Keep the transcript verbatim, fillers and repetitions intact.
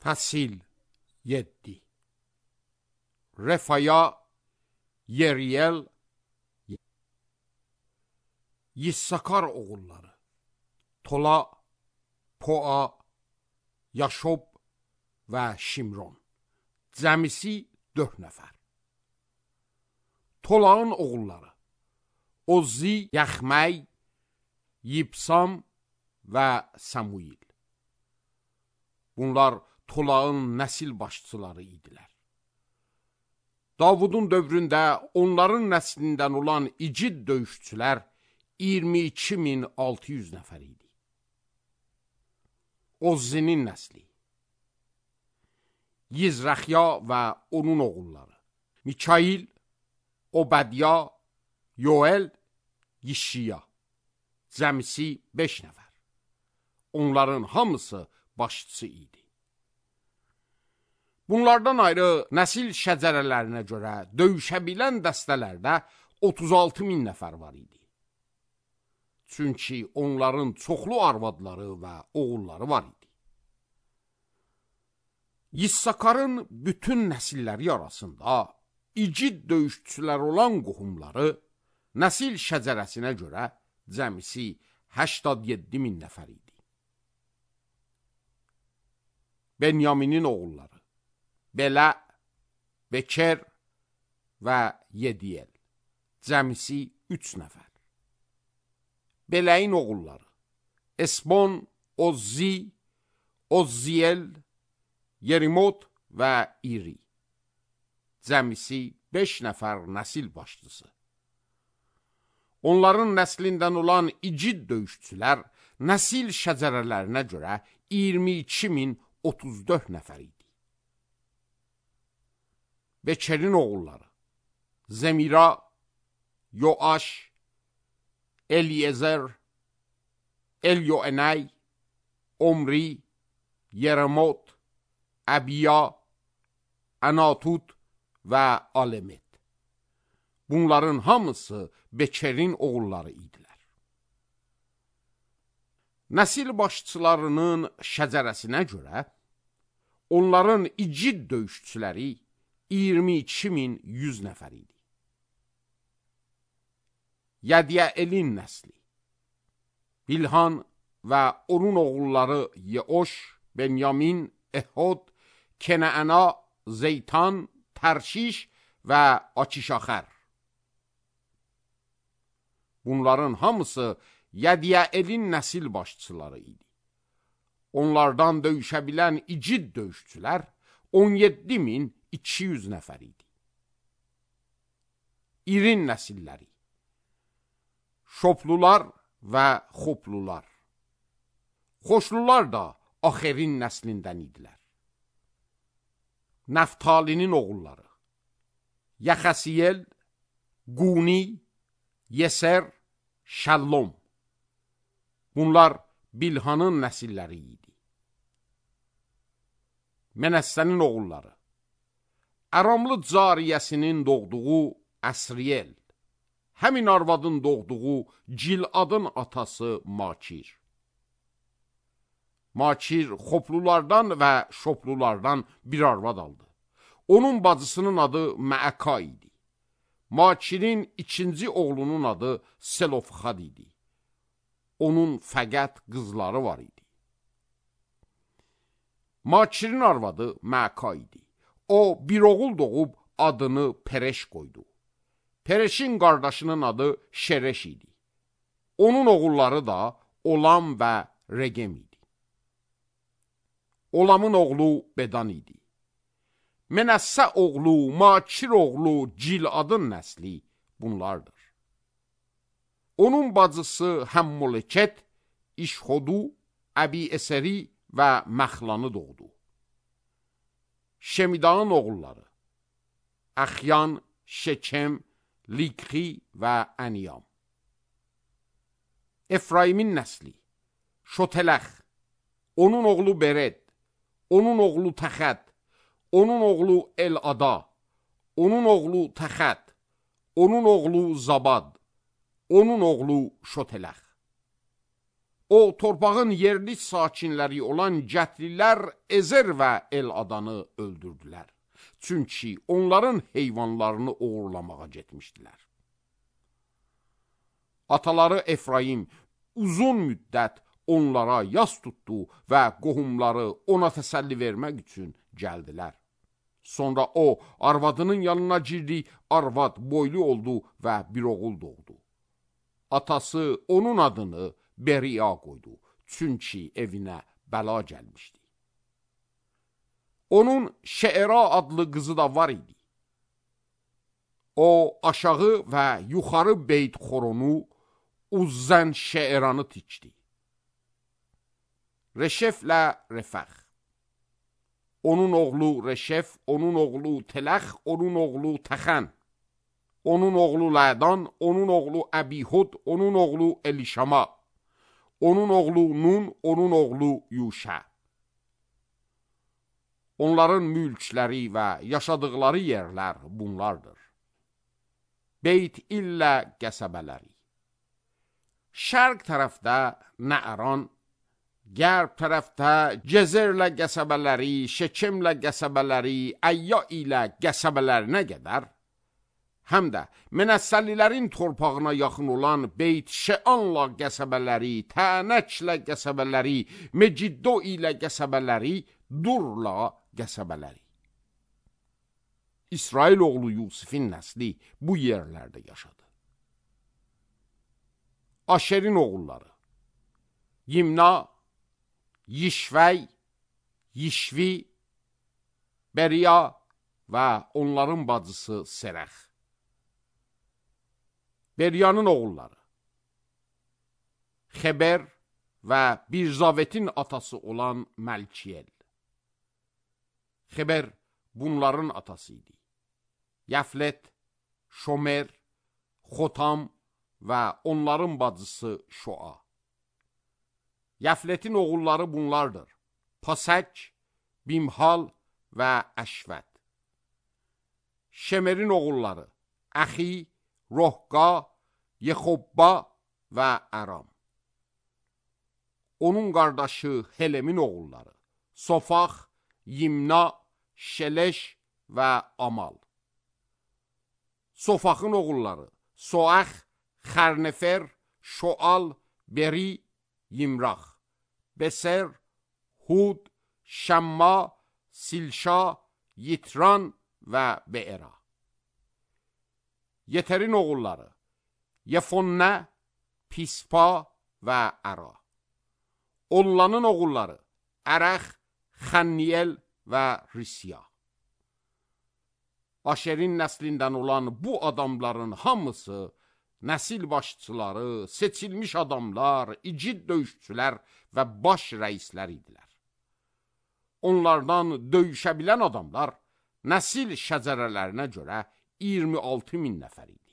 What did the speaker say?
Fəsil yeddi. Refaya, Yeriyel, Yissakar oğulları, Tola, Poa, Yaşob və Şimron. Cəmisi dörd nəfər. Tolağın oğulları, Ozzi, Yaxməy, Yibsam və Samuil. Bunlar Tolağın nəsil başçıları idilər. Davudun dövründə onların nəslindən olan igid döyüşçülər iyirmi iki min altı yüz nəfər idi. Ozzinin nəsli, Yizrəxya və onun oğulları, Mikail, Obədya, Yoel, Yişiya. Cəmisi beş nəfər. Onların hamısı başçısı idi. Bunlardan ayrı nəsil şəcərələrinə görə döyüşə bilən dəstələrdə otuz altı min nəfər var idi. Çünki onların çoxlu arvadları və oğulları var idi. Yissakarın bütün nəsilləri arasında igid döyüşçülər olan qohumları nəsil şəcərəsinə görə cəmisi səksən yeddi min nəfər idi. Benyaminin oğulları Belə, Beker və Yediyel. Cəmisi üç nəfər. Beləyin oğulları Esbon, Ozzi, Ozziyel, Yerimot və İri. Cəmisi beş nəfər nəsil başçısı. Onların nəslindən olan igid döyüşçülər nəsil şəcərələrinə görə iyirmi iki min otuz dörd nəfər idi. Bekerin oğulları Zemira, Yoaş, Eliezer, Elyoenay, Omri, Yeremot, Abiya, Anatut və Alemet. Bunların hamısı Bekerin oğulları idilər. Nəsil başçılarının şəcərəsinə görə onların igid döyüşçüləri iyirmi iki min yüz nəfər idi. Yədiyəlin nəsli Bilhan və onun oğulları Yeoş, Benyamin, Ehod, Kenaana, Zeytan, Tərşiş və Akişaxər. Bunların hamısı Yədiyəlin nəsil başçıları idi. Onlardan döyüşə bilən igid döyüşçülər on yeddi min iki yüz nəfər idi. İrin nəsilləri Şoplular və Xoplular. Xoşlular da Axerin nəslindən idilər. Nəftalinin oğulları Yaxasiyel, Quni, Yeser, Şəllom. Bunlar Bilhanın nəsilləri idi. Mənəssənin oğulları Aramlı cariyəsinin doğduğu Əsriyel, həmin arvadın doğduğu Ciladın atası Makir. Makir Xoplulardan və Şoplulardan bir arvad aldı. Onun bacısının adı Məəka idi. Makirin ikinci oğlunun adı Selofxad idi. Onun fəqət qızları var idi. Makirin arvadı Məəka idi. O bir oğul doğub adını Pereş qoydu. Pereşin qardaşının adı Şereş idi. Onun oğulları da Olam və Regem idi. Olamın oğlu Bedan idi. Mənəssə oğlu, Makir oğlu Ciladın nəsli bunlardır. Onun bacısı Həmmoleket, İşhodu, Əbi-Eseri və Məxlanı doğdu. Şemidanın oğulları Əxyan, Şekem, Likhi və Əniyam. Efraimin nəsli Şotələx, onun oğlu Bered, onun oğlu Təxət, onun oğlu El-Ada, onun oğlu Təxət, onun oğlu Zabad, onun oğlu Şotələx. O, torpağın yerli sakinləri olan Gətlilər Ezer və El-Adanı öldürdülər. Çünki onların heyvanlarını uğurlamağa getmişdilər. Ataları Efraim uzun müddət onlara yas tutdu və qohumları ona təsəlli vermək üçün gəldilər. Sonra o, arvadının yanına girdi, arvad boylu oldu və bir oğul doğdu. Atası onun adını Beriya qoydu, çünki evinə bəla gəlmişdi. Onun Şeera adlı qızı da var idi. O, aşağı və yuxarı Beyt Xoronu, Uzzən Şeeranı tikdi. Reşeflə Refəx. Onun oğlu Reşef, onun oğlu Teləx, onun oğlu Təxən. Onun oğlu Lədan, onun oğlu Əbihud, onun oğlu Elişama. Onun oğlu Nun, onun oğlu Yuşə. Onların mülkləri və yaşadıqları yerlər bunlardır. Beyt illə qəsəbələri. Şərq tərəfdə Nəəran, qərb tərəfdə Cezerlə qəsəbələri, Şekemlə qəsəbələri, Əyya ilə qəsəbələrinə qədər, həm də Mənəssəlilərin torpağına yaxın olan Beyt Şeanla qəsəbələri, Tənəklə qəsəbələri, Meciddo ilə qəsəbələri, Durla qəsəbələri. İsrail oğlu Yusifin nəsli bu yerlərdə yaşadı. Aşerin oğulları Yimna, Yişvəy, Yişvi, Beriya və onların bacısı Serəx. Beriyanın oğulları Xeber və Birzavetin atası olan Məlkiyel. Xeber bunların atası idi. Yəflet, Şomer, Xotam və onların bacısı Şoa. Yəfletin oğulları bunlardır: Pasək, Bimhal və Əşvət. Şemerin oğulları Əxi, Rohqa, Yexobba və Əram. Onun qardaşı Helemin oğulları Sofax, Yimna, Şeleş və Amal. Sofaxın oğulları Soax, Xərnefer, Şoal, Beri, Yimrax, Beser, Hud, Şəmma, Silşa, Yitran və Beera. Yeterin oğulları Yefonnə, Pispa və Əra. Ollanın oğulları Ərəx, Xənniyel və Risya. Aşerin nəslindən olan bu adamların hamısı nəsil başçıları, seçilmiş adamlar, igid döyüşçülər və baş rəislər idilər. Onlardan döyüşə bilən adamlar nəsil şəcərələrinə görə iyirmi altı min nəfər idi.